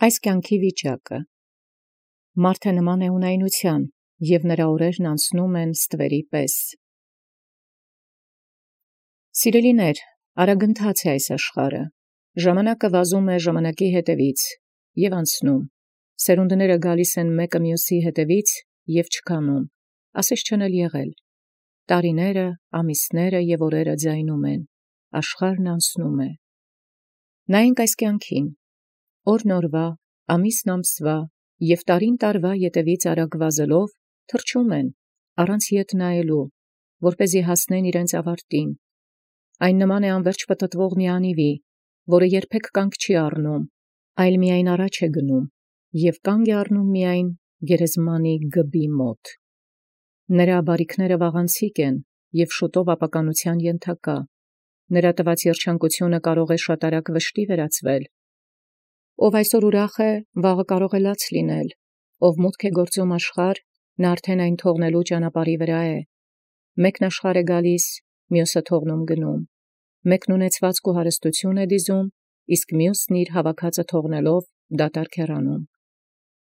Այս կյանքի վիճակը մարդը նման է ունայնության, և նրա օրերն անցնում են ստվերի պես։ Սիրելիներ, արագընթաց է այս աշխարհը, ժամանակը վազում է ժամանակի հետևից և անցնում, սերունդները գալիս են մեկը մյուսի հետևից և չքանում, ասես չեն էլ եղել, տարիները, ամիսները և օրերը ձայնում են, աշխարհն անցնում է։ Նայենք այս կյանքին, օրն օրվա, ամիսն ամսվա և տարին տարվա ետևից արագ վազելով թռչում են, առանց ետ նայելու, որպեսզի հասնեն իրենց ավարտին։ Այն նման է անվերջ պտտվող մի անիվի, որը երբեք կանգ չի առնում, այլ միայն առաջ է գնում և կանգ է առնում միայն գերեզմանի գբի մոտ։ Նրա բարիքները վաղանցիկ են և շուտով ապականության ենթակա, նրա տված երջանկությունը կարող է շատ արագ վշտի վերածվել։ Ով այսօր ուրախ է, վաղը կարող է լաց լինել, ով մուտք է գործում աշխարհ, նա արդեն այն թողնելու ճանապարհի վրա է։ Մեկն աշխարհ է գալիս, մյուսը թողնում գնում, մեկն ունեցվածք ու հարստություն է դիզում, իսկ մյուսն իր հավաքածը թողնելով դատարկ հեռանում։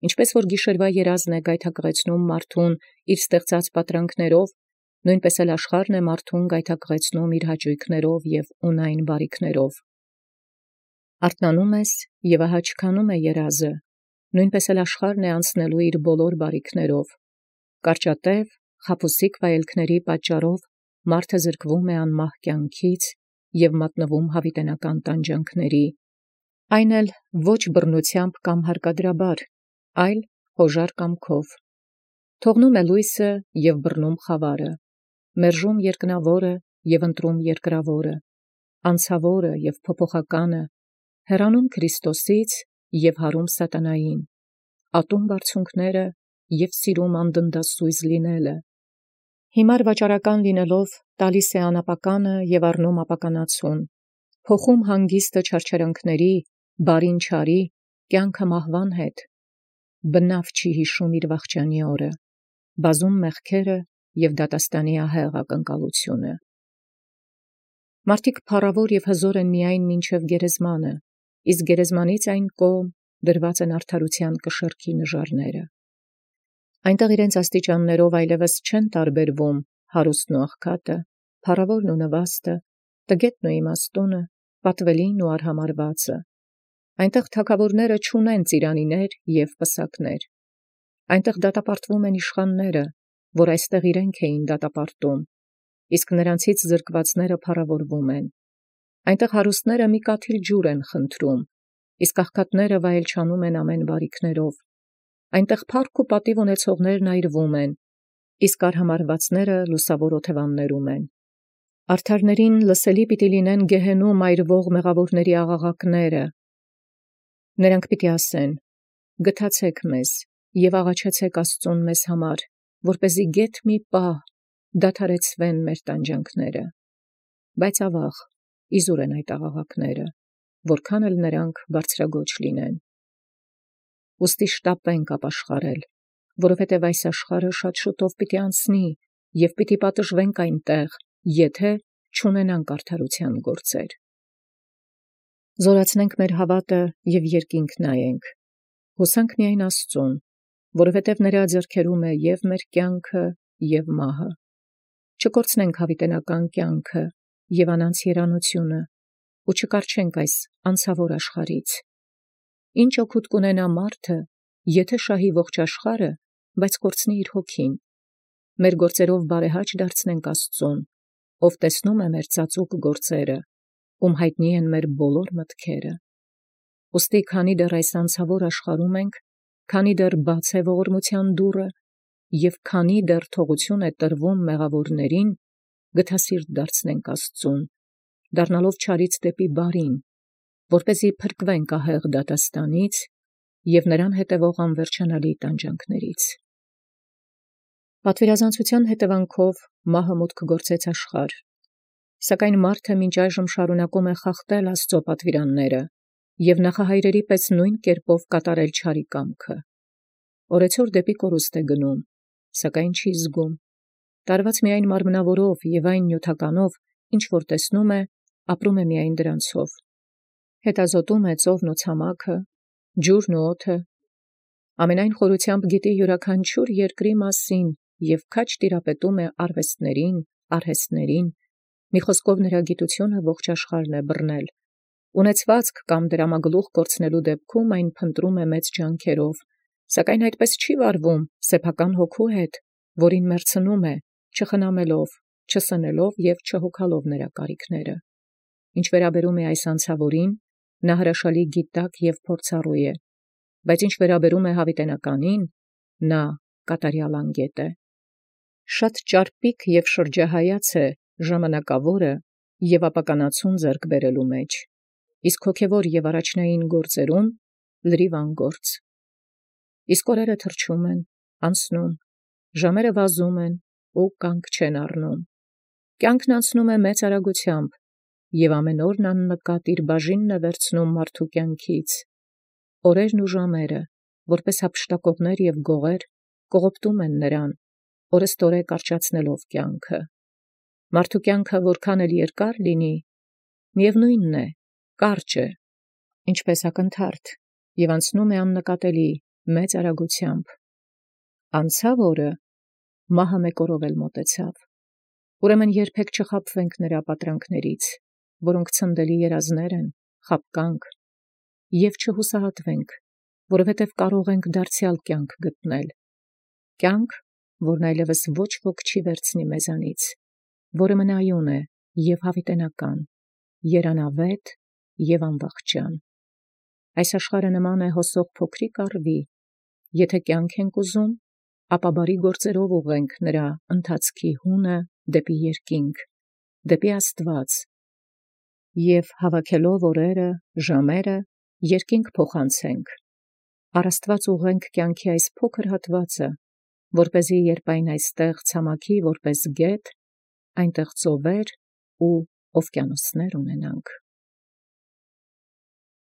Ինչպես որ գիշերվա երազն է գայթակղեցնում մարդուն իր ստեղծած պատրանքներով, նույնպես էլ աշխարհն է մարդուն գայթակղեցնում իր հաճույքներով և ունայն բարիքներով։ Արթնանում ես և ահա չքանում է երազը, նույնպես էլ աշխարհն է անցնելու իր բոլոր բարիքներով։ Կարճատև, խաբուսիկ վայելքների պատճառով մարդը զրկվում է անմահ կյանքից և մատնվում հավիտենական տանջանքների, այն էլ ոչ բռնությամբ կամ հարկադրաբար, այլ հոժար կամքով։ Թողնում է լույսը և բռնում խավարը, մերժում երկնավորը և ընտրում երկրավորը, անցավորը և փոփոխականը, հեռանում Քրիստոսից և հարում սատանային, ատում բարձունքները և սիրում անդնդասույզ լինելը։ Հիմար վաճառական լինելով տալիս է անապականը և առնում ապականացուն, փոխում հանգիստը չարչարանքների, բարին չարի, կյանքը մահվան հետ, բնավ չի հիշում իր վախճանի օրը, բազում մեղքերը և դատաստանի ահեղ ակնկալությունը։ Մարդիկ փառավոր և հզոր են միայն մինչև գերեզմանը, իսկ գերեզմանից այն կողմ դրված են արդարության կշեռքի նժարները։ Այնտեղ իրենց աստիճաններով այլևս չեն տարբերվում հարուստն ու աղքատը, փառավորն ու նվաստը, տգետն ու իմաստունը, պատվելին ու արհամարհվածը։ Այնտեղ թագավորները չունեն ծիրանիներ և պսակներ։ Այնտեղ դատապարտվում են իշխանները, որ այստեղ իրենք էին դատապարտում, իսկ նրանցից զրկվածները փառավորվում են։ Այնտեղ հարուստները մի կաթիլ ջուր են խնդրում, իսկ աղքատները վայելչանում են ամեն բարիքներով։ Այնտեղ փառք ու պատիվ ունեցողներն այրվում են, իսկ արհամարհվածները լուսավոր օթևաններում են։ Արդարներին լսելի պիտի լինեն գեհենում այրվող մեղավորների աղաղակները։ Նրանք պիտի ասեն. «Գթացեք մեզ և աղաչեցեք Աստծուն մեզ համար, որպեսզի գեթ մի պահ դադարեցվեն մեր տանջանքները»։ Բայց ավաղ, իզուր են այդ աղաղակները, որքան էլ նրանք բարձրագոչ լինեն։ Ուստի շտապենք ապաշխարել, որովհետև այս աշխարհը շատ շուտով պիտի անցնի և պիտի պատժվենք այնտեղ, եթե չունենանք արդարության գործեր։ Զորացնենք մեր հավատը և երկինք նայենք, հուսանք միայն Աստծուն, որովհետև նրա ձեռքերում է և մեր կյանքը և մահը։ Չկորցնենք հավիտենական կյանքը և անանց երանությունը ու չկառչենք այս անցավոր աշխարհից։ Ինչ օգուտ կունենա մարդը, եթե շահի ողջ աշխարհը, բայց կորցնի իր հոգին։ Մեր գործերով բարեհաճ դարձնենք Աստծուն, ով տեսնում է մեր ծածուկ գործերը, ում հայտնի են մեր բոլոր մտքերը։ Ուստի քանի դեռ այս անցավոր աշխարհում ենք, քանի դեռ բաց է ողորմության դուռը և քանի դեռ թողություն է տրվում մեղավորներին, գթասիրտ դարձնենք Աստծուն, դառնալով չարից դեպի բարին, որպեսզի փրկվենք ահեղ դատաստանից և նրան հետևող անվերջանալի տանջանքներից։ Պատվիրազանցության հետևանքով մահը մուտք գործեց աշխարհ, սակայն մարդը մինչ այժմ շարունակում է խախտել Աստծո պատվիրանները և նախահայրերի պես նույն կերպով կատարել չարի կամքը։ Օրեցօր դեպի կորուստ է գնում, սակայն չի զգում, տարված միայն մարմնավորով և այն նյութականով, ինչ որ տեսնում է, ապրում է միայն դրանցով։ Հետազոտում է ծովն ու ցամաքը, ջուրն ու օդը, ամենայն խորությամբ գիտի յուրաքանչյուր երկրի մասին և քաջ տիրապետում է արվեստներին, արհեստներին, մի խոսքով նրա գիտությունը ողջ աշխարհն է բռնել, ունեցվածք կամ դրամագլուխ կորցնելու դեպքում այն փնտրում է մեծ ջանքերով, սակայն այդպես չի վարվում սեփական հոգու հետ, որին մերցնում է, չխնամելով, չսնելով և չհոգալով նրա կարիքները։ Ինչ վերաբերում է այս անցավորին, նա հրաշալի գիտակ և փորձառու է, բայց ինչ վերաբերում է հավիտենականին, նա կատարյալ անգետ է։ Շատ ճարպիկ և շրջահայաց է ժամանակավորը և ապականացուն ձեռք բերելու մեջ, իսկ հոգևոր և առաջնային գործերում լրիվ անգործ։ Իսկ օրերը թռչում են, անցնում, ժամերը վազում են ու կանգ չեն առնում։ Կյանքն անցնում է մեծ արագությամբ, և ամեն օրն աննկատ իր բաժինն է վերցնում մարդու կյանքից։ Օրերն ու ժամերը, որպես հափշտակողներ և գողեր, կողոպտում են նրան, օրըստօրե կարճացնելով կյանքը։ Մարդու կյանքը որքան էլ երկար լինի, միևնույնն է, կարճ է, ինչպես ակնթարթ, և անցնում է աննկատելի մեծ արագությամբ։ Անցավ օրը, մահը մեկ օրով էլ մոտեցավ։ Ուրեմն երբեք չխաբվենք նրա պատրանքներից, որոնք ցնդելի երազներ են, խաբկանք, և չհուսահատվենք, որովհետև կարող ենք դարձյալ կյանք գտնել, կյանք, որն այլևս ոչ ոք չի վերցնի մեզանից, որը մնայուն է և հավիտենական, երանավետ և անվախճան։ Այս աշխարհը նման է հոսող փոքրիկ առվի, եթե կյանք ենք ուզում, ապա բարի գործերով ուղղենք նրա ընթացքի հունը դեպի երկինք, դեպի Աստված, և հավաքելով օրերը, ժամերը, երկինք փոխանցենք, առ Աստված ուղղենք կյանքի այս փոքր հատվածը, որպեսզի երբ այն այստեղ ցամաքի որպես գետ, այնտեղ ծովեր ու օվկիանոսներ ունենանք։